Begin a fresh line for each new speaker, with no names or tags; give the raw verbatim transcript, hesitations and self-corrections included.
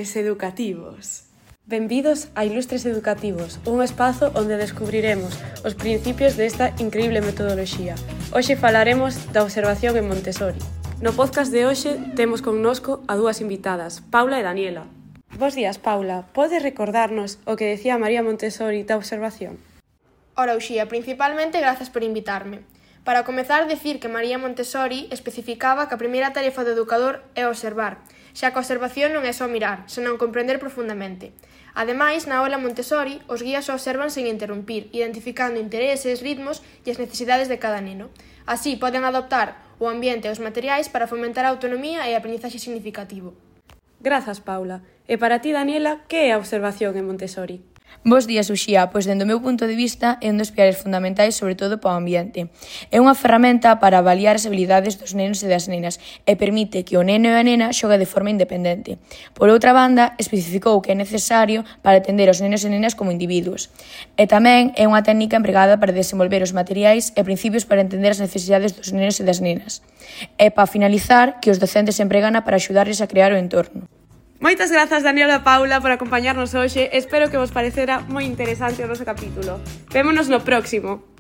Ilustres Educativos. Benvidos a Ilustres Educativos, un espazo onde descubriremos os principios desta increíble metodoloxía. Hoxe falaremos da observación en Montessori. No podcast de hoxe temos connosco a dúas invitadas, Paula e Daniela. Bos días, Paula. Podes recordarnos o que decía María Montessori da observación?
Ora, Uxía, principalmente grazas por invitarme. Para comezar, decir que María Montessori especificaba que a primeira tarefa do educador é observar, xa que a observación non é só mirar, senón comprender profundamente. Ademais, na aula Montessori, os guías observan sen interrumpir, identificando intereses, ritmos e as necesidades de cada neno. Así, poden adoptar o ambiente e os materiais para fomentar a autonomía e a aprendizaxe significativo.
Grazas, Paula. E para ti, Daniela, que é a observación en Montessori?
Bos días, Uxía. Pois, dende o meu punto de vista, é un dos pilares fundamentais, sobre todo para o ambiente. É unha ferramenta para avaliar as habilidades dos nenos e das nenas e permite que o neno e a nena xogue de forma independente. Por outra banda, especificou que é necesario para atender os nenos e nenas como individuos. E tamén é unha técnica empregada para desenvolver os materiais e principios para entender as necesidades dos nenos e das nenas. E, para finalizar, que os docentes empregana para axudarles a crear o entorno.
Moitas grazas, Daniela e Paula, por acompañarnos hoxe. Espero que vos parecera moi interesante o noso capítulo. Vémonos no próximo.